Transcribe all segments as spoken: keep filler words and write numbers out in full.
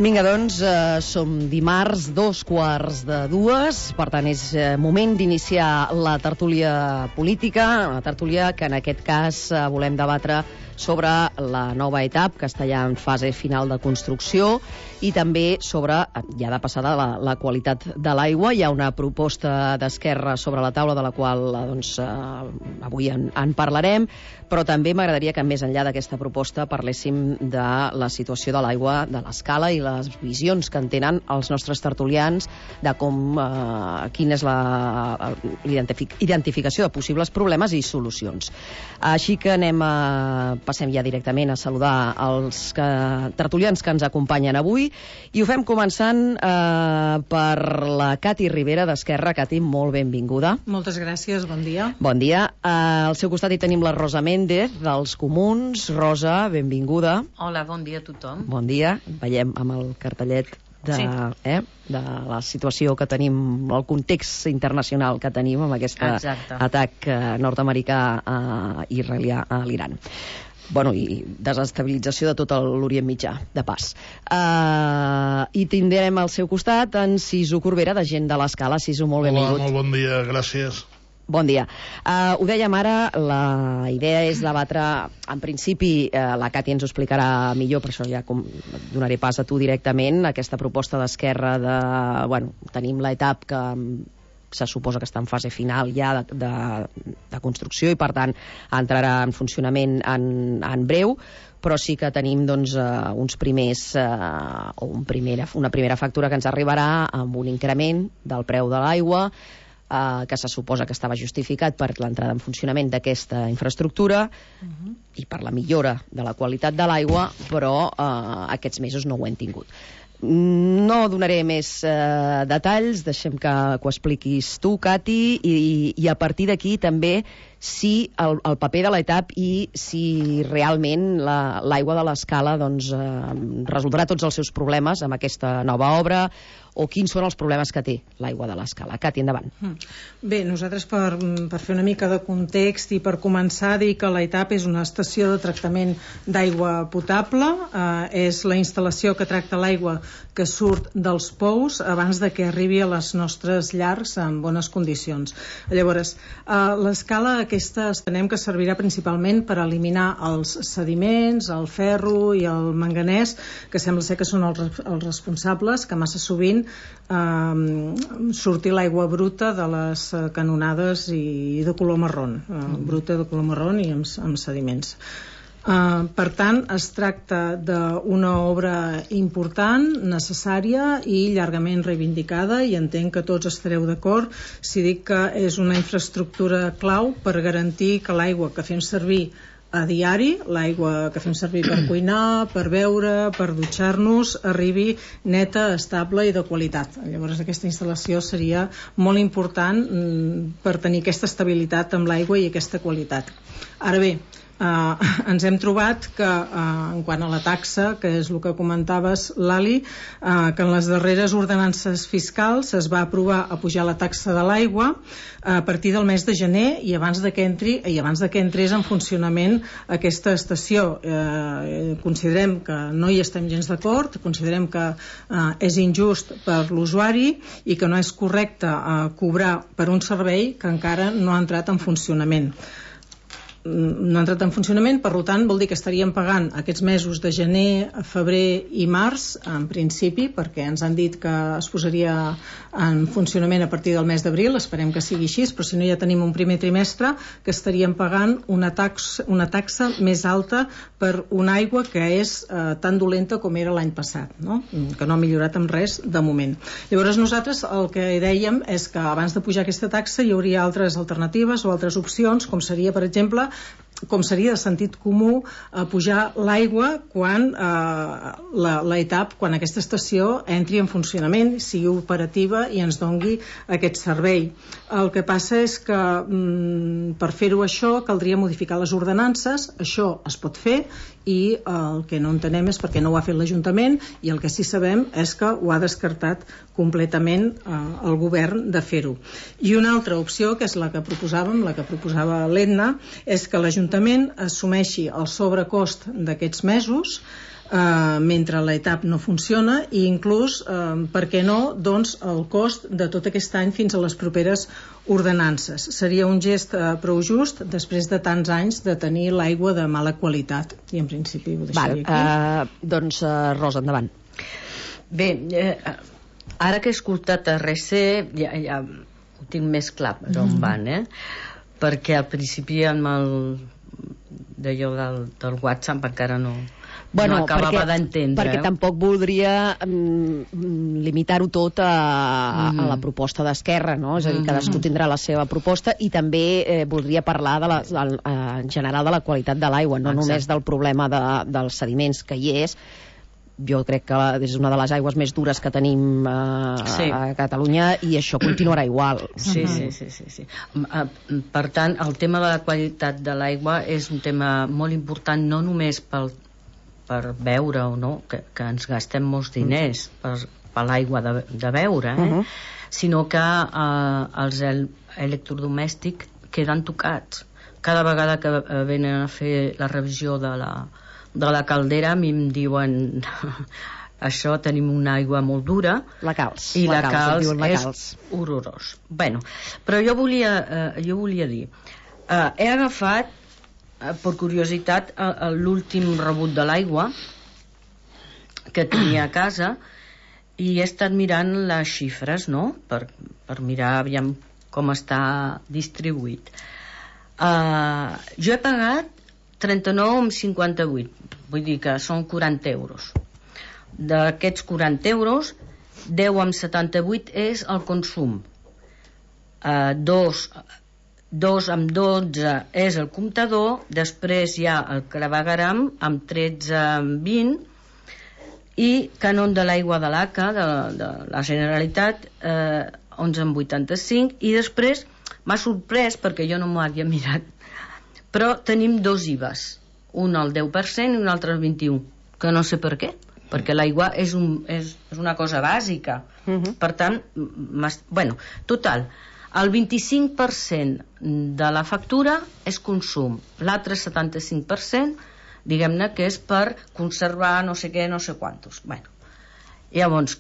Vinga, doncs, eh, som dimarts, dos quarts de dues, per tant és eh, moment d'iniciar la tertúlia política, una tertúlia que en aquest cas eh, volem debatre sobre la nova etapa que està ja en fase final de construcció i també sobre, ja de passada, la, la qualitat de l'aigua. Hi ha una proposta d'Esquerra sobre la taula de la qual doncs, eh, avui en, en parlarem, però també m'agradaria que més enllà d'aquesta proposta parléssim de la situació de l'aigua, de l'escala i les visions que en tenen els nostres tertulians de com, eh, quina és la identific, identificació de possibles problemes i solucions. Així que anem a passem ja directament a saludar els que, tertulians que ens acompanyen avui i ho fem començant eh, per la Cati Ribera d'Esquerra. Cati, molt benvinguda. Moltes gràcies, bon dia. Bon dia. Eh, al seu costat hi tenim la Rosa Méndez dels Comuns. Rosa, benvinguda. Hola, bon dia a tothom. Bon dia. Veiem amb el cartellet de, sí. eh, de la situació que tenim, el context internacional que tenim amb aquest atac eh, nord-americà eh, israelià a l'Iran. Bueno, i desestabilització de tot l'Orient Mitjà, de pas. Uh, I tindrem al seu costat en Sisu Corbera, de Gent de l'Escala. Sisu, molt benvingut. Hola, molt bon dia, gràcies. Bon dia. Uh, ho dèiem ara, la idea és debatre, en principi, uh, la Cati ens ho explicarà millor, per això ja com donaré pas a tu directament, aquesta proposta d'Esquerra de, bueno, tenim l'etapa que se suposa que està en fase final ja de, de, de construcció i per tant entrarà en funcionament en, en breu, però sí que tenim doncs, uh, uns primers uh, o un primera, una primera factura que ens arribarà amb un increment del preu de l'aigua uh, que se suposa que estava justificat per l'entrada en funcionament d'aquesta infraestructura uh-huh. i per la millora de la qualitat de l'aigua, però uh, aquests mesos no ho hem tingut. No donaré més eh, detalls, deixem que, que ho expliquis tu, Cati, i, i a partir d'aquí també si el, el paper de l'etapa i si realment la, l'aigua de l'Escala doncs, eh, resoldrà tots els seus problemes amb aquesta nova obra o quins són els problemes que té l'aigua de l'Escala. Cati, endavant. Bé, nosaltres per, per fer una mica de context i per començar a dir que l'etapa és una estació de tractament d'aigua potable, eh, és la instal·lació que tracta l'aigua que surt dels pous abans de que arribi a les nostres llars en bones condicions. Llavors, eh, l'Escala aquesta entenem que servirà principalment per eliminar els sediments, el ferro i el manganès, que sembla ser que són els, els responsables, que massa sovint eh, sortir l'aigua bruta de les canonades i de color marrón, eh, bruta de color marrón i amb, amb sediments. Uh, per tant, es tracta d'una obra important, necessària i llargament reivindicada, i entenc que tots estareu d'acord si dic que és una infraestructura clau per garantir que l'aigua que fem servir a diari, l'aigua que fem servir per cuinar, per beure, per dutxar-nos, arribi neta, estable i de qualitat. Llavors aquesta instal·lació seria molt important mm, per tenir aquesta estabilitat amb l'aigua i aquesta qualitat. Ara bé, Uh, ens hem trobat que uh, en quant a la taxa, que és el que comentaves, Lali, uh, que en les darreres ordenances fiscals es va aprovar a pujar la taxa de l'aigua a partir del mes de gener i abans de que entri i abans de que entrés en funcionament aquesta estació. Uh, considerem que no hi estem gens d'acord, considerem que uh, és injust per l'usuari i que no és correcte uh, cobrar per un servei que encara no ha entrat en funcionament. no ha entrat en funcionament, per tant vol dir que estaríem pagant aquests mesos de gener, febrer i març en principi, perquè ens han dit que es posaria en funcionament a partir del mes d'abril, esperem que sigui així, però si no ja tenim un primer trimestre que estaríem pagant una taxa, una taxa més alta per una aigua que és eh, tan dolenta com era l'any passat, no? Que no ha millorat en res de moment. Llavors nosaltres el que dèiem és que abans de pujar aquesta taxa hi hauria altres alternatives o altres opcions, com seria per exemple com seria de sentit comú eh, pujar l'aigua quan eh, la, la etapa, quan aquesta estació entri en funcionament, sigui operativa i ens dongui aquest servei. El que passa és que mm, per fer-ho això caldria modificar les ordenances, això es pot fer i el que no entenem és perquè no ho ha fet l'Ajuntament, i el que sí sabem és que ho ha descartat completament eh, el govern de fer-ho. I una altra opció, que és la que proposàvem, la que proposava l'Edna, és que l'Ajuntament assumeixi el sobrecost d'aquests mesos Uh, mentre l'ETAP no funciona, i inclús, uh, per què no, doncs el cost de tot aquest any fins a les properes ordenances. Seria un gest uh, prou just després de tants anys de tenir l'aigua de mala qualitat, i en principi ho deixaria Val, aquí. Uh, doncs, uh, Rosa, endavant. Bé, eh, ara que he escoltat a R C ja, ja ho tinc més clar per on van, eh? Perquè al principi amb el d'allò del, del WhatsApp encara no... Bueno, no acabava perquè, d'entendre. perquè tampoc voldria mm, limitar-ho tot a, mm. a la proposta d'Esquerra, no? És a dir, cadascú tindrà la seva proposta, i també eh, voldria parlar de la, de, en general de la qualitat de l'aigua, no Exacte. Només del problema de, dels sediments, que hi és. Jo crec que és una de les aigües més dures que tenim eh, sí. a Catalunya, i això continuarà igual. Sí, sí, sí, sí, sí. Per tant, el tema de la qualitat de l'aigua és un tema molt important, no només pel per beure o no, que, que ens gastem molts diners per, per l'aigua de, de beure, eh? Uh-huh. Sinó que eh, els el, electrodomèstics queden tocats. Cada vegada que eh, venen a fer la revisió de la, de la caldera, a mi em diuen això, tenim una aigua molt dura, la calç, i la, la calç, calç la és calç. horrorós. Bueno, però jo volia, eh, jo volia dir, eh, he agafat per curiositat l'últim rebut de l'aigua que tenia a casa, i he estat mirant les xifres, no? per, per mirar aviam com està distribuït. Uh, jo he pagat trenta-nou coma cinquanta-vuit, vull dir que són quaranta euros. D'aquests quaranta euros, deu coma setanta-vuit és el consum, uh, dos dos amb dotze és el comptador, després hi ha el clavegueram amb tretze amb vint, i cànon de l'aigua de l'A C A de, de la Generalitat eh, onze amb vuitanta-cinc, i després m'ha sorprès perquè jo no m'ho havia mirat, però tenim dos I V As, un al deu per cent i un altre al vint-i-u, que no sé per què, perquè l'aigua és, un, és, és una cosa bàsica. Uh-huh. Per tant, bueno, total, el vint-i-cinc per cent de la factura és consum, l'altre setanta-cinc per cent, diguem-ne que és per conservar no sé què, no sé quantos. Bueno, llavors,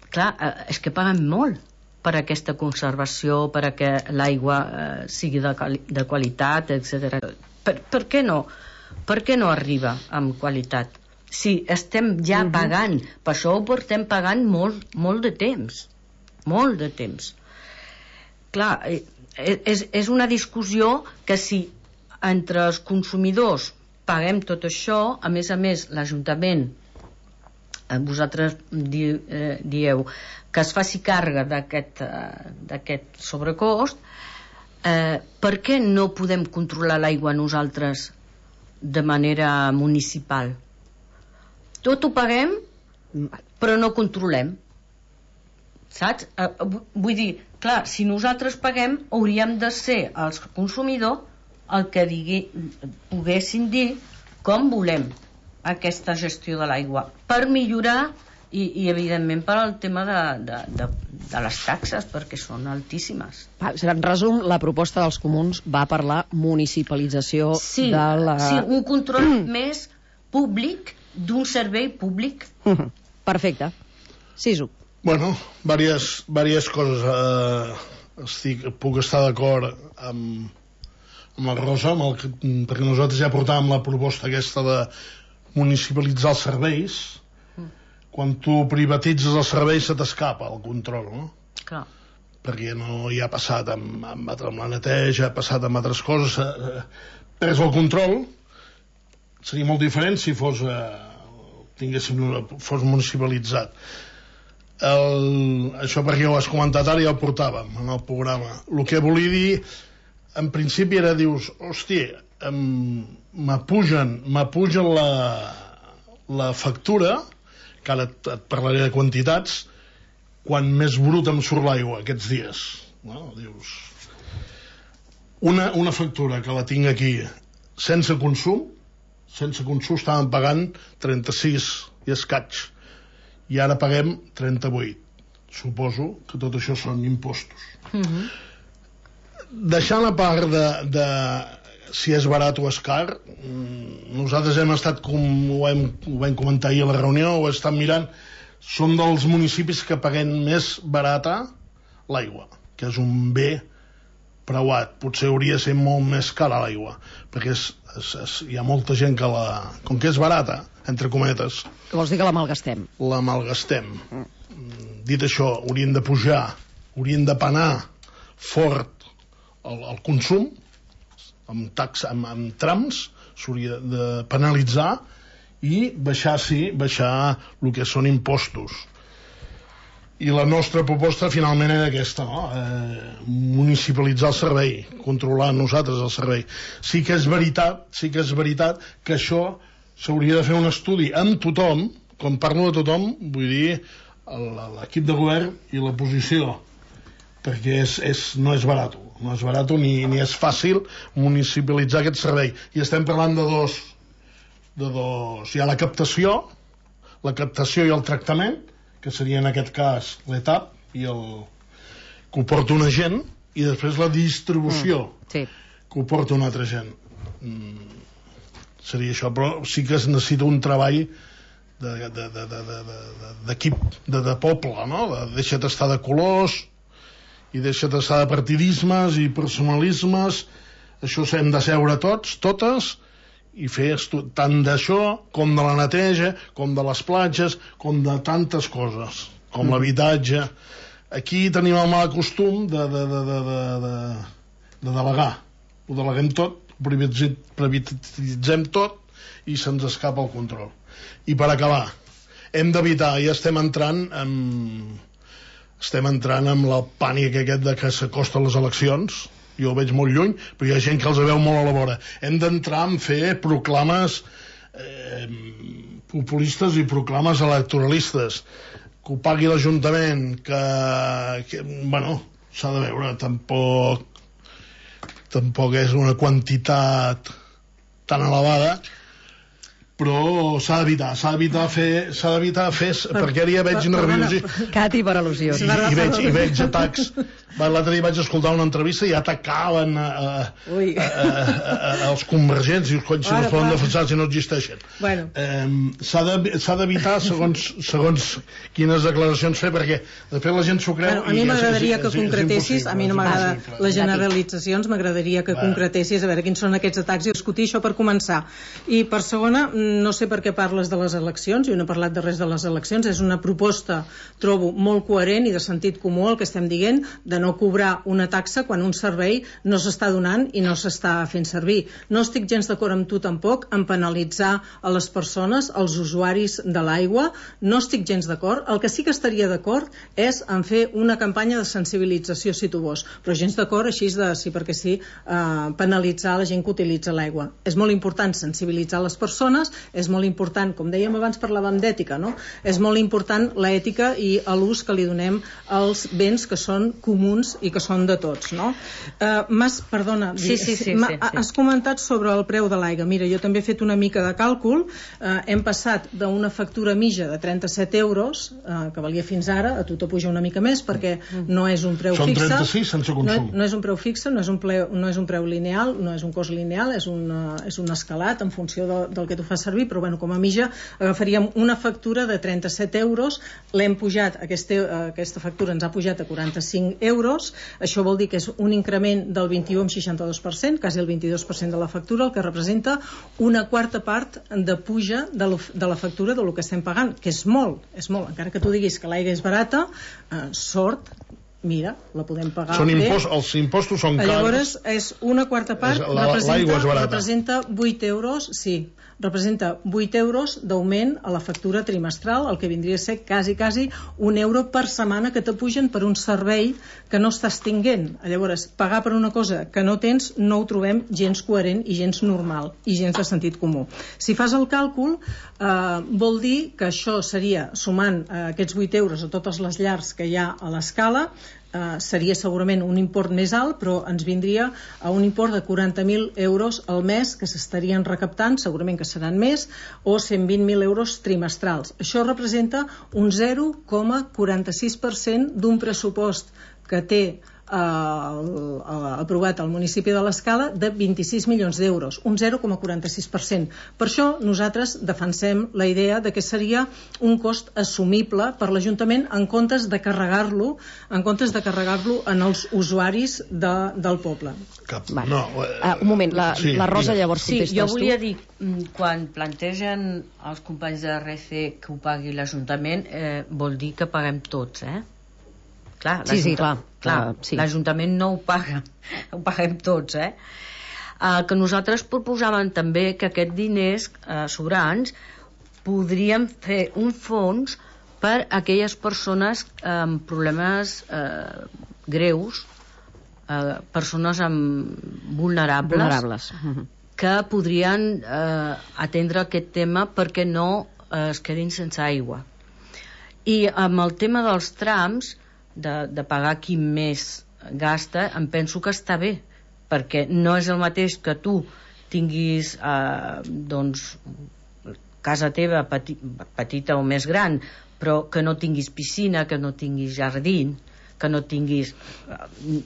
clar, és que paguem molt per aquesta conservació, per que l'aigua eh, sigui de, de qualitat, etcètera. Per, per què no? Per què no arriba amb qualitat? Si estem ja uh-huh. pagant, per això ho portem pagant molt, molt de temps, molt de temps. Clar, és, és una discussió que si entre els consumidors paguem tot això, a més a més l'Ajuntament, vosaltres di, eh, dieu que es faci càrrega d'aquest eh, d'aquest sobrecost, eh, per què no podem controlar l'aigua nosaltres de manera municipal? Tot ho paguem, però no controlem. Saps? Vull dir, clar, si nosaltres paguem, hauríem de ser els consumidors el que digui, poguessin dir com volem aquesta gestió de l'aigua, per millorar i, i evidentment per al tema de, de, de, de les taxes, perquè són altíssimes. En resum, la proposta dels comuns va per la municipalització sí, de la... Sí, un control més públic d'un servei públic. Uh-huh. Perfecte. Sisu. Bueno, diverses, diverses coses. Eh, estic, puc estar d'acord amb, amb la Rosa, amb el, perquè nosaltres ja portàvem la proposta aquesta de municipalitzar els serveis. Mm. Quan tu privatitzes els serveis se t'escapa el control, no? Clar. Perquè no hi ha passat amb, amb, amb la neteja, ha passat amb altres coses. Eh, pres el control. Seria molt diferent si fos, eh, tinguéssim, fos municipalitzat. El, això perquè ho has comentat ara, ja ho portàvem en el programa. El que volia dir en principi era, dius, hòstia, m'apugen m'apugen la, la factura, que ara et, et parlaré de quantitats, quan més brut em surt l'aigua aquests dies, no? Dius, una, una factura que la tinc aquí sense consum, sense consum estàvem pagant trenta-sis i escaig, i ara paguem trenta-vuit. Suposo que tot això són impostos. Uh-huh. Deixant a part de, de si és barat o és car, nosaltres hem estat, com ho vam, ho vam comentar ahir a la reunió, ho estem mirant, som dels municipis que paguem més barata l'aigua, que és un bé preuat. Potser hauria de ser molt més cara l'aigua, perquè és, és, és, hi ha molta gent que la... Com que és barata, entre cometes... Que vols dir que la malgastem? La malgastem. Mm. Dit això, haurien de pujar, haurien de penar fort el, el consum, amb, taxa, amb, amb trams, s'hauria de penalitzar i baixar, sí, baixar el que són impostos. I la nostra proposta finalment era aquesta, no? Eh, municipalitzar el servei, controlar nosaltres el servei. Sí que és veritat, sí que és veritat que això s'hauria de fer un estudi amb tothom, quan parlo de tothom, vull dir l'equip de govern i la posició, perquè és, és, no és barat, no és barat ni, ni és fàcil municipalitzar aquest servei. I estem parlant de dos, de dos... Hi ha la captació, la captació i el tractament, que seria en aquest cas l'etap i el que ho porta una gent, i després la distribució, mm, sí, que ho porta una altra gent. Mm, seria això, però sí que es necessita un treball d'equip, de, de, de, de, de, de, de poble, no? De, deixa't estar de colors i deixa't estar de partidismes i personalismes. Això s'hem de seure tots, totes, i fer tant d'això com de la neteja, com de les platges, com de tantes coses, com mm. l'habitatge. Aquí tenim el mal costum de, de, de, de, de, de, de delegar. Ho deleguem tot, privatitzem tot i se'ns escapa el control. I per acabar, hem d'evitar, ja estem entrant en, estem entrant en el pànic aquest de que s'acosten les eleccions. Jo ho veig molt lluny, però hi ha gent que els veu molt a la vora. Hem d'entrar en fer proclames eh, populistes i proclames electoralistes, que ho pagui l'Ajuntament, que, que bueno, s'ha de veure, tampoc tampoc és una quantitat tan elevada, però s'ha d'evitar, s'ha d'evitar fer, s'ha d'evitar fer, per, perquè ara ja veig per, nerviós. Cati, per al·lusions. I, i, veig, i veig atacs. L'altre dia vaig escoltar una entrevista i atacaven a, a, a, a, a, als convergents i els colls si no es poden defensar si no existeixen. Bueno. Eh, s'ha d'evitar segons, segons quines declaracions fer, perquè després la gent s'ho creu. Bueno, a mi m'agradaria que concretessis, a mi no m'agrada les generalitzacions, m'agradaria que concretessis a veure quins són aquests atacs i discutir això per començar. I per segona, no sé per què parles de les eleccions, jo no he parlat de res de les eleccions, és una proposta, trobo, molt coherent i de sentit comú el que estem dient, de no cobrar una taxa quan un servei no s'està donant i no s'està fent servir. No estic gens d'acord amb tu tampoc en penalitzar a les persones, als usuaris de l'aigua, no estic gens d'acord. El que sí que estaria d'acord és en fer una campanya de sensibilització, si tu vols, però gens d'acord així de sí perquè sí, eh, penalitzar la gent que utilitza l'aigua. És molt important sensibilitzar les persones, és molt important, com dèiem abans parlàvem d'ètica, no? És molt important l'ètica i l'ús que li donem als béns que són comuns i que són de tots, no? Uh, Mas, perdona, sí, sí, sí, ma, sí, sí. has comentat sobre el preu de l'aigua. Mira, jo també he fet una mica de càlcul, uh, hem passat d'una factura mitja de trenta-set euros, uh, que valia fins ara, a tu te puja una mica més perquè no és un preu Són fixe. Són trenta-sis sense consum. No, no és un preu fixe, no és un, preu, no és un preu lineal, no és un cost lineal, és un, uh, és un escalat en funció de, del que tu fas servir, però bueno, com a mitja agafaríem una factura de trenta-set euros, l'hem pujat, aquesta, aquesta factura ens ha pujat a quaranta-cinc euros, això vol dir que és un increment del vint-i-u coma seixanta-dos per cent, quasi el vint-i-dos per cent de la factura, el que representa una quarta part de puja de, lo, de la factura del que estem pagant, que és molt, és molt, encara que tu diguis que l'aigua és barata, eh, sort, mira, la podem pagar són bé. Impost, els impostos són cars. Llavors, és una quarta part, és, la, representa, representa vuit euros, sí, representa vuit euros d'augment a la factura trimestral, el que vindria a ser quasi, quasi un euro per setmana que te pugen per un servei que no estàs tinguent. Llavors, pagar per una cosa que no tens no ho trobem gens coherent i gens normal i gens de sentit comú. Si fas el càlcul, eh, vol dir que això seria, sumant eh, aquests vuit euros a totes les llars que hi ha a l'escala, eh, seria segurament un import més alt, però ens vindria a un import de quaranta mil euros al mes que s'estarien recaptant, segurament que seran més, o cent vint mil euros trimestrals. Això representa un zero coma quaranta-sis per cent d'un pressupost que té eh, aprovat al municipi de l'Escala de vint-i-sis milions d'euros, un zero coma quaranta-sis per cent. Per això nosaltres defensem la idea de que seria un cost assumible per l'Ajuntament en comptes de carregar-lo en comptes de carregar-lo en els usuaris de, del poble. Cap, vale. no, eh, uh, un moment, la, sí, la Rosa digues. llavors Sí, contestes jo volia tu. dir, quan plantegen els companys de R C que ho pagui l'Ajuntament, eh, vol dir que paguem tots, eh? Clar, sí, sí, clar, clar, uh, sí. l'Ajuntament no ho paga, ho paguem tots, eh? Uh, que nosaltres proposàvem també que aquests diners uh, sobrants podríem fer un fons per a aquelles persones amb problemes uh, greus, uh, persones amb vulnerables, Vulnerables. que podrien uh, atendre aquest tema perquè no uh, es quedin sense aigua. I amb el tema dels trams, De, de pagar qui més gasta, em penso que està bé, perquè no és el mateix que tu tinguis eh, doncs casa teva peti, petita o més gran, però que no tinguis piscina, que no tinguis jardí, que no tinguis...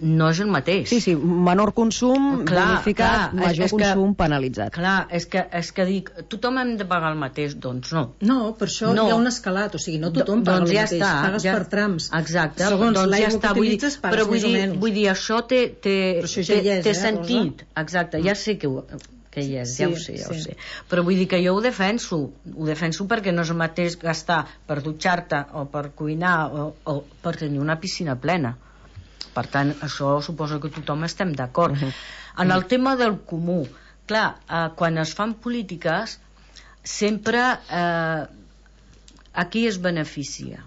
no és el mateix. Sí, sí, menor consum clar, bonificat, clar, major és, és consum que, penalitzat. Clar, és que, és que dic, tothom hem de pagar el mateix, doncs no. No, per això no. hi ha un escalat, o sigui, no tothom paga doncs el ja mateix, està, pagues ja, per trams. Exacte, segons doncs l'aigua ja està, que utilitzes pagues però vull més o dir, menys. vull dir, això té, té, això ja té, hi és, té eh, sentit, Rosa? exacte, ja sé que ho, que hi és, Sí, ja ho sé, ja sí. ho sé. Però vull dir que jo ho defenso, ho defenso perquè no és el mateix gastar per dutxar-te o per cuinar o, o per tenir una piscina plena. Per tant, això suposo que tothom estem d'acord. Uh -huh. En el tema del comú, clar, eh, quan es fan polítiques, sempre eh, a qui es beneficia?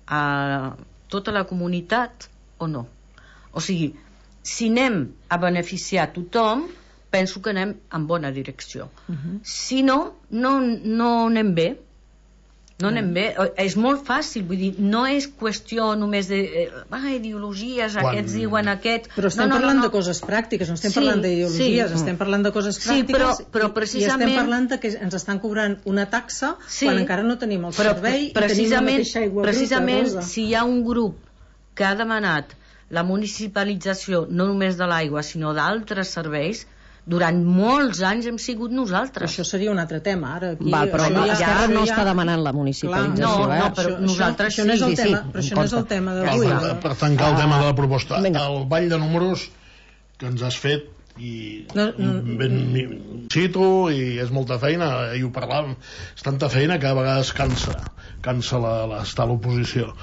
A tota la comunitat o no? O sigui, si anem a beneficiar tothom, penso que anem en bona direcció. Uh -huh. Si no, no, no anem bé. No anem bé. És molt fàcil, vull dir, no és qüestió només de eh, ah, ideologies, Quan... aquests diuen aquest... Però estem no, no, parlant no, no. de coses pràctiques, no estem Sí, parlant d'ideologies, sí. estem parlant de coses Sí, pràctiques però, però i, precisament... i estem parlant de que ens estan cobrant una taxa Sí, quan encara no tenim el però servei i tenim la precisament, mateixa aigua precisament bruta, Rosa. si hi ha un grup que ha demanat la municipalització no només de l'aigua sinó d'altres serveis, durant molts anys hem sigut nosaltres. Això seria un altre tema. Ara, aquí, Val, però no, ja, Esquerra això no ja... està demanant la municipalització. No, eh? no, però això, nosaltres això, això no és el sí, tema, sí, però això em no és el consta. tema Per, d'avui. per, per tancar el tema de la proposta, Vinga. el ball de números que ens has fet i No, no. ben cito i és molta feina, i ho parlàvem, és tanta feina que a vegades cansa cansa la, la, estar a l'oposició.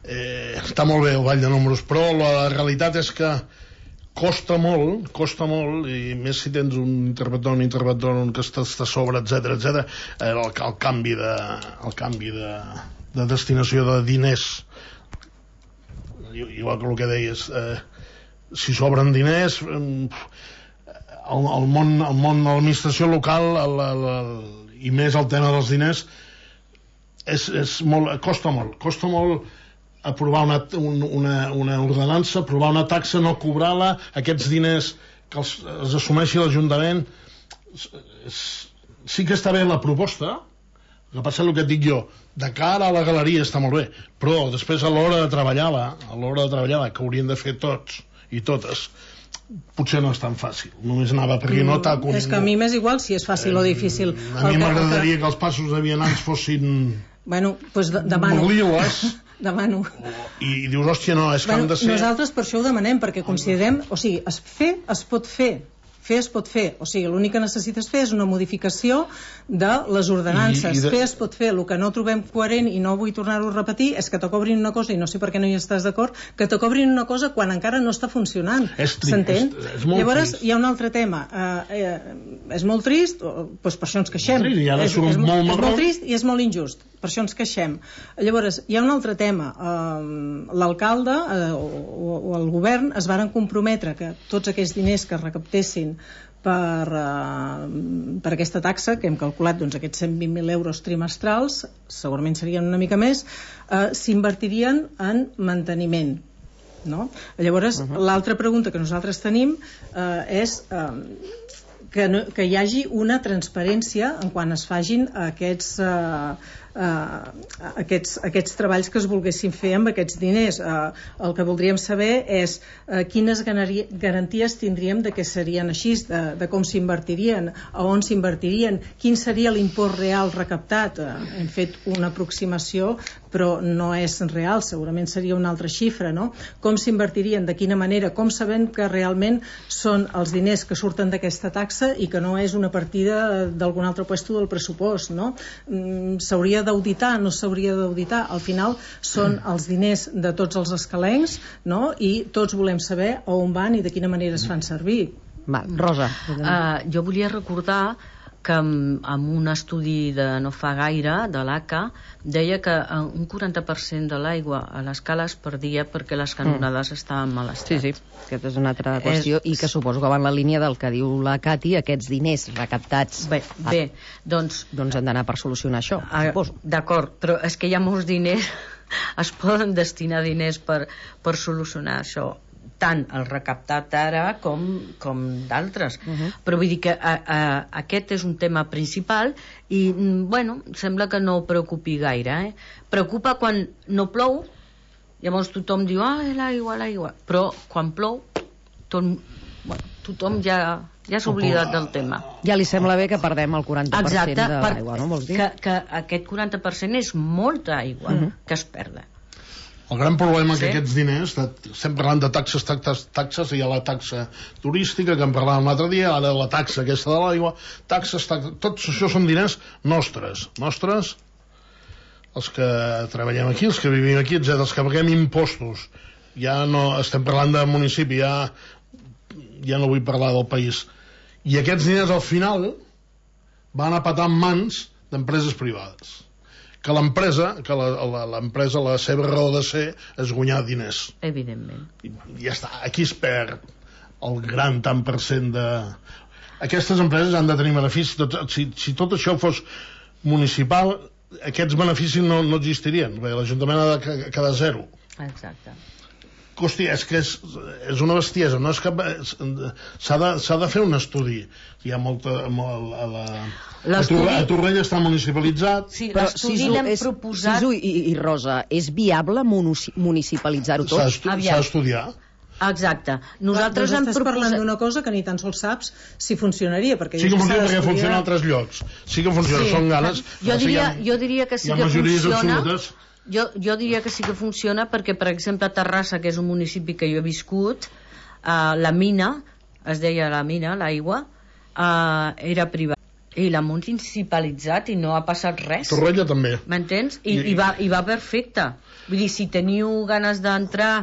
Eh, està molt bé el ball de números, però la realitat és que costa molt, costa molt, i més si tens un interventor, un interventor que està, està sobre, etcètera, etcètera, eh, el, el canvi de, el canvi de, de destinació de diners, igual que el que deies, eh, si sobren diners, eh, el, el món, el món de l'administració local, el, el, el, i més el tema dels diners, és, és molt, costa molt, costa molt aprovar una, una, una ordenança, aprovar una taxa, no cobrar-la, aquests diners que els, els assumeixi l'Ajuntament. Sí que està bé la proposta, el que passa és el que et dic jo, de cara a la galeria està molt bé, però després a l'hora de treballar-la, a l'hora de treballar-la, que haurien de fer tots i totes, potser no és tan fàcil, només anava perquè no t'ha... És que a mi m'és igual si és fàcil o difícil. A mi El que- m'agradaria que els passos de vianants fossin Bueno, doncs de- demano. molt liles, Demano. i dius, hòstia, no, és que Bueno, han de ser... nosaltres per això ho demanem, perquè considerem, o sigui, es fer es pot fer, fer es pot fer, o sigui, l'únic que necessites fer és una modificació de les ordenances. I- i de- Fer es pot fer, el que no trobem coherent i no vull tornar-ho a repetir és que te cobrin una cosa, i no sé per què no hi estàs d'acord, que te cobrin una cosa quan encara no està funcionant. És trist, s'entén? és- és molt Llavors trist. hi ha un altre tema, eh, eh, és molt trist, o, doncs per això ens queixem. Trist, i ara és, surt és, molt és marró. molt trist i és molt injust, per això ens queixem. Llavors, hi ha un altre tema, eh, l'alcalde eh, o, o el govern es varen comprometre que tots aquells diners que es recaptessin per, eh, per aquesta taxa, que hem calculat doncs, aquests cent vint mil euros trimestrals, segurament serien una mica més, eh, s'invertirien en manteniment. no? Llavors, uh-huh. l'altra pregunta que nosaltres tenim eh, és eh, que, no, que hi hagi una transparència en quan es fagin aquests, eh, eh, aquests, aquests treballs que es volguessin fer amb aquests diners. Eh, el que voldríem saber és eh, quines garanties tindríem de que serien així, de, de com s'invertirien, a on s'invertirien, quin seria l'import real recaptat. Eh, hem fet una aproximació, però no és real, segurament seria una altra xifra, no? Com s'invertirien, de quina manera, com sabem que realment són els diners que surten d'aquesta taxa i que no és una partida d'algun altre puesto del pressupost, no? Mm, s'hauria d'auditar, no s'hauria d'auditar, al final són els diners de tots els escalencs, no? I tots volem saber on van i de quina manera es fan servir. Va, Rosa. Uh, jo volia recordar que amb, amb un estudi de no fa gaire, de l'A C A, deia que un quaranta per cent de l'aigua a l'escala es perdia perquè les canonades mm. estaven en mal estat. Sí, sí, aquesta és una altra qüestió és... i que suposo que va en la línia del que diu la Cati, aquests diners recaptats bé, bé, doncs, doncs han d'anar per solucionar això, a, suposo. D'acord, però és que hi ha molts diners, es poden destinar diners per, per solucionar això, tant el recaptat ara com, com d'altres. Uh-huh. Però vull dir que a, a, aquest és un tema principal i, bueno, sembla que no preocupi gaire. Eh? Preocupa quan no plou, llavors tothom diu, ah, l'aigua, l'aigua. Però quan plou, tot, bueno, tothom ja, ja s'ha oblidat del tema. Ja li sembla bé que perdem el quaranta per cent Exacte, de l'aigua, no? Vols dir? Que, que aquest quaranta per cent és molta aigua uh-huh. que es perda. El gran problema sí. que aquests diners, estem parlant de taxes, taxes, taxes, hi ha la taxa turística, que en parlàvem l'altre dia, ara la taxa aquesta de l'aigua, taxes, taxes, tots això són diners nostres, nostres, els que treballem aquí, els que vivim aquí, etcètera, els que paguem impostos. Ja no estem parlant de municipi, ja, ja no vull parlar del país. I aquests diners al final van a patar en mans d'empreses privades. Que l'empresa, que l'empresa, la, la seva raó de ser és guanyar diners. Evidentment. I ja està, aquí es perd el gran tant per cent de... Aquestes empreses han de tenir beneficis, tot, si, si tot això fos municipal, aquests beneficis no, no existirien, perquè l'Ajuntament ha de quedar zero. Exacte. Hosti, és que és, és una bestiesa, no és cap... S'ha de, s'ha de fer un estudi. Hi ha molta... Molt, a, la, a, Torre, a Torrella està municipalitzat. Sí, l'estudi l'hem proposat... Sisu i, i Rosa, és viable municipalitzar-ho tot? S'ha d'estudiar. Exacte. Nosaltres doncs hem estàs proposat... parlant d'una cosa que ni tan sols saps si funcionaria, perquè sí que funciona, perquè funciona en altres llocs. Sí que funciona, sí. Són ganes. Jo diria, ha, jo diria que sí que funciona... Absolutes. Jo, jo diria que sí que funciona perquè, per exemple, a Terrassa, que és un municipi que jo he viscut, eh, la mina, es deia la mina, l'aigua, eh, era privada. I l'ha municipalitzat i no ha passat res. Torrella també. M'entens? I, I, i, va, I va perfecte. Vull dir, si teniu ganes d'entrar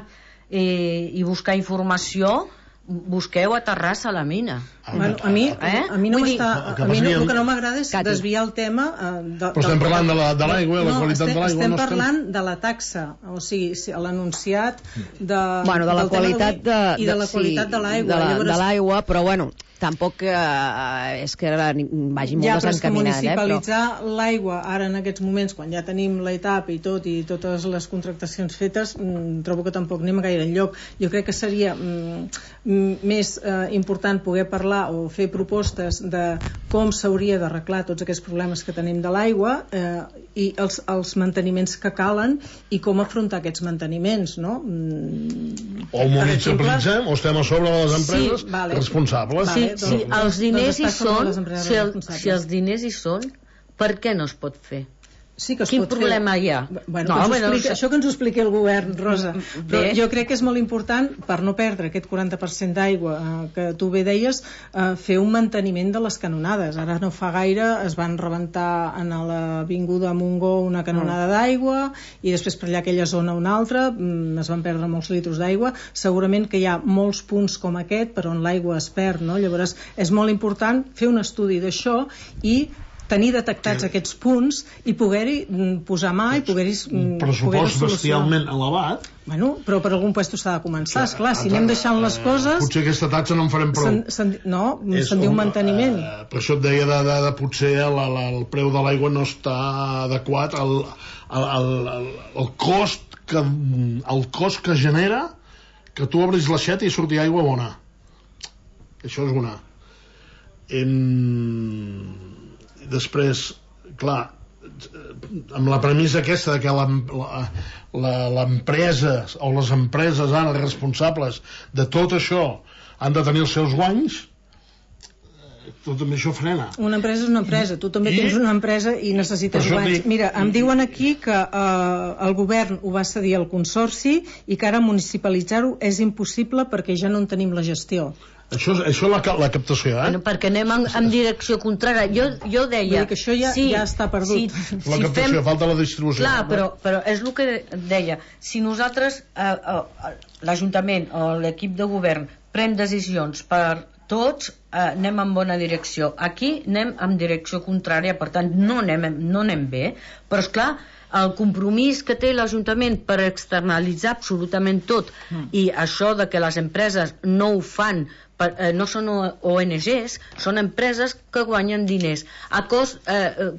eh, i buscar informació, busqueu a Terrassa a la mina. Bueno, a mi, eh? a mi no m'està, a mi no, el que no m'agrada és Cati. desviar el tema eh, de, però estem del, parlant de la, de l'aigua, no, la qualitat estem, de l'aigua estem no parlant estem... de la taxa, o sigui, l'anunciat de, bueno, de la qualitat de, de, i de la qualitat sí, de l'aigua. De, la, Llavors... de l'aigua, però bueno, tampoc eh, és que vagi molt ja, desencaminat. Ja, però municipalitzar eh, però... l'aigua ara en aquests moments, quan ja tenim l'E T A P i tot, i totes les contractacions fetes, mmm, trobo que tampoc anem gaire enlloc. Jo crec que seria mm, més eh, important poder parlar o fer propostes de com s'hauria d'arreglar tots aquests problemes que tenim de l'aigua eh, i els, els manteniments que calen i com afrontar aquests manteniments, no? Mm, o el municipalitzem o estem a sobre de les empreses sí, vale. responsables. Sí, doncs, si els diners doncs hi són, si, el, si els responsables. diners hi són, per què no es pot fer? Sí que es Quin pot problema fer. hi ha? Bueno, no, que bueno, explica, això que ens ho expliqui el govern, Rosa. Però bé. jo crec que és molt important, per no perdre aquest quaranta per cent d'aigua eh, que tu bé deies, eh, fer un manteniment de les canonades. Ara no fa gaire es van rebentar en l'avinguda Montgó una canonada d'aigua i després per allà aquella zona una altra, mm, es van perdre molts litros d'aigua. Segurament que hi ha molts punts com aquest per on l'aigua es perd, no? Llavors és molt important fer un estudi d'això i tenir detectats aquests punts i poder-hi posar mà i poder-hi un pressupost bestialment elevat. Bueno, però per algun puesto s'ha de començar, esclar, si anem deixant les coses... Potser aquesta taxa no en farem prou. Sen, sen, no, se'n diu manteniment. Uh, per això et deia de, de, de potser la, la, el preu de l'aigua no està adequat al, al, al, al, al cost que el cost que genera que tu obris l'aixeta i surti aigua bona. Això és una. Em... Després, clar, amb la premissa aquesta de que l'empresa o les empreses ara responsables de tot això han de tenir els seus guanys, tot també això frena. Una empresa és una empresa, tu també I... tens una empresa i necessites guanys. Dic... Mira, em diuen aquí que eh, el govern ho va cedir al consorci i que ara municipalitzar-ho és impossible perquè ja no en tenim la gestió. Això, això és la, la captació, eh? Bueno, perquè anem en, en direcció contrària. Jo, jo deia... Vull dir que això ja, sí, ja està perdut. Si, la si captació, fem... falta la distribució. Clar, però, però és el que deia. Si nosaltres, eh, eh, l'Ajuntament o l'equip de govern pren decisions per tots, eh, anem en bona direcció. Aquí anem en direcció contrària, per tant no anem, no anem bé, però és clar, el compromís que té l'Ajuntament per externalitzar absolutament tot, mm. i això de que les empreses no ho fan, per, eh, no són O N Ges, són empreses que guanyen diners a cost, eh,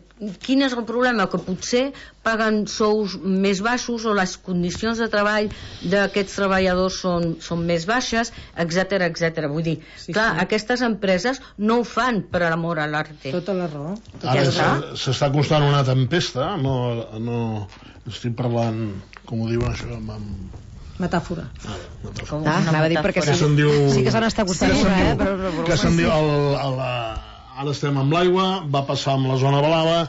quin és el problema? Que potser paguen sous més baixos o les condicions de treball d'aquests treballadors són, són més baixes, etc etc. Vull dir, sí, clar, sí. Aquestes empreses no ho fan per amor a l'arte. Tota la raó. Ara s'està costant una tempesta, no, no estic parlant, com ho diuen això, amb... Metàfora. Ah, metàfora. Ah, anava a dir perquè sí, diu... sí que se n'està costant sí, una, eh? Però, però, però, que se'n diu... El, el, ara estem amb l'aigua, va passar amb la zona blava,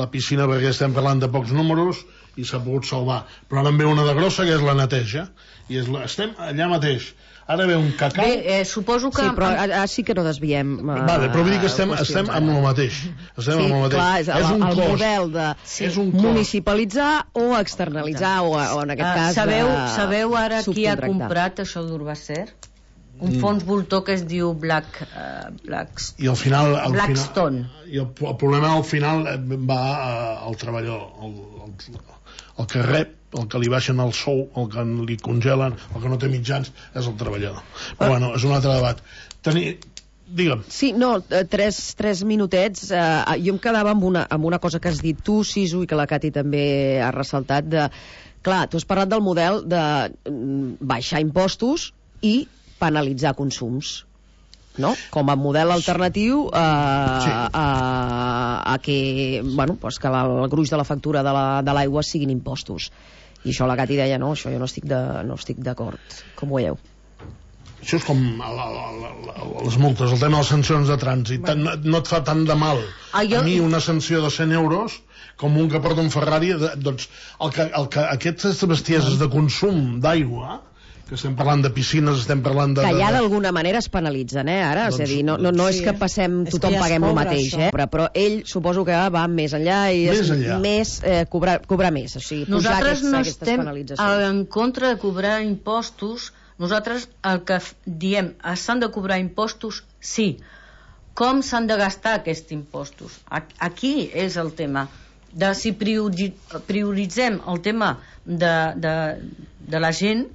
la piscina perquè estem parlant de pocs números i s'ha pogut salvar. Però ara en ve una de grossa que és la neteja. I és la... estem allà mateix. Ara ve un cacau... Bé, eh, suposo que... Sí, però ara sí que no desviem... Uh, vale, però vull dir que estem, estem amb el mateix. Estem sí, amb el mateix. Clar, és, és un el cost. Model de sí. municipalitzar o externalitzar, o, o en aquest uh, cas... Sabeu, sabeu ara qui ha comprat això d'Urbacer? Un mm. fons voltor que es diu Black, uh, Blacks, I al final, al Blackstone. Final, I el, el problema al final va uh, al treballador, el, el, el que rep, el que li baixen el sou, el que li congelen, el que no té mitjans, és el treballador. Però bueno, és un altre debat. Tenir... Digue'm. Sí, no, tres, tres minutets. Eh, jo em quedava amb una, amb una cosa que has dit tu, Sisu, i que la Cati també ha ressaltat. De, clar, tu has parlat del model de baixar impostos i penalitzar consums, no? Com a model alternatiu a, sí. a, a que, bueno, pues que la, el gruix de la factura de l'aigua la, siguin impostos. I això la Cati deia, no, això jo no estic de, no estic d'acord. Com ho veieu? Això és com la, la, la, la, les multes, el tema de les sancions de trànsit. Bueno. No, no et fa tant de mal ah, jo... a mi una sanció de cent euros com un que porta un Ferrari. De, doncs el que, el que aquestes bestieses de consum d'aigua, que estem parlant de piscines, estem parlant de... Que ja d'alguna manera es penalitzen, eh, ara? Doncs, és a dir, no, no, no sí, és que passem, tothom que ja paguem el mateix, això. eh? Però, però ell suposo que va més enllà i és més, enllà. més eh, cobrar, cobrar més, o sigui, posar nosaltres aquests, no aquestes penalitzacions. estem en contra de cobrar impostos. Nosaltres el que diem, s'han de cobrar impostos, sí. Com s'han de gastar aquests impostos? Aquí és el tema. De si prioritzem el tema de, de, de la gent,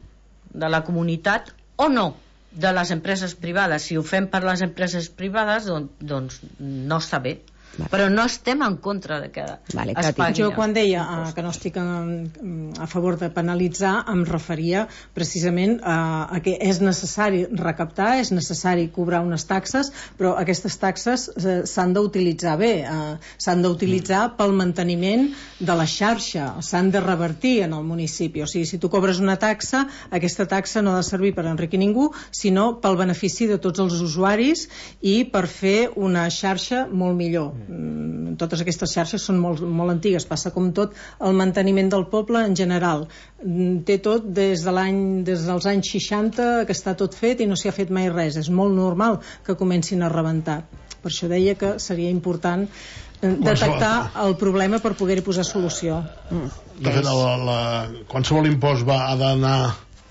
de la comunitat, o no, de les empreses privades. Si ho fem per les empreses privades, doncs, doncs no està bé. Vale. Però no estem en contra de que vale, es pagui. Jo quan deia uh, que no estic en, a favor de penalitzar em referia precisament a, a que és necessari recaptar, és necessari cobrar unes taxes, però aquestes taxes uh, s'han d'utilitzar bé, uh, s'han d'utilitzar mm. pel manteniment de la xarxa, s'han de revertir en el municipi. O sigui, si tu cobres una taxa, aquesta taxa no ha de servir per enriquir ningú, sinó pel benefici de tots els usuaris i per fer una xarxa molt millor. Totes aquestes xarxes són molt, molt antigues, passa com tot el manteniment del poble en general, té tot des de l'any des dels anys seixanta que està tot fet i no s'hi ha fet mai res, és molt normal que comencin a rebentar. Per això deia que seria important detectar el problema per poder-hi posar solució. De fet, la, la, qualsevol impost va, ha d'anar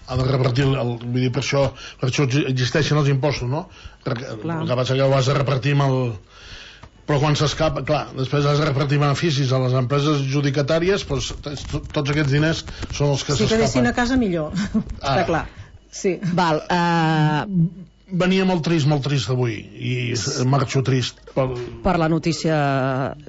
ha de repartir, el, vull dir, per això, per això existeixen els impostos, no? Perquè el que passa que ho has de repartir amb el... Però quan s'escapa, clar, després has de repartir beneficis a les empreses adjudicatàries, doncs tots aquests diners són els que s'escapen. Si quedessin a casa millor, ah. està clar. Sí. Val, uh... Venia molt trist, molt trist avui, i marxo trist per, per la notícia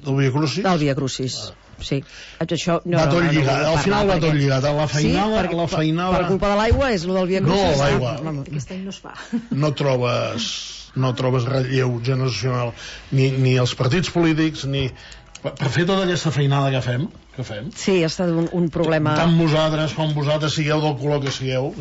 del Via Crucis. Del Via Crucis. sí. Això, no, va tot no, no, lligat, no, no, al final va perquè... tot lligat. La feinada... Sí, per, la feinada... per culpa de l'aigua és el del Via No, Crucis. l'aigua. Aquest any no es fa. No trobes, no trobes relleu generacional ni, ni els partits polítics, ni... Per, per fer tota aquesta feinada que fem, que fem Sí, ha estat un, un problema... tant vosaltres com vosaltres sigueu del color que sigueu,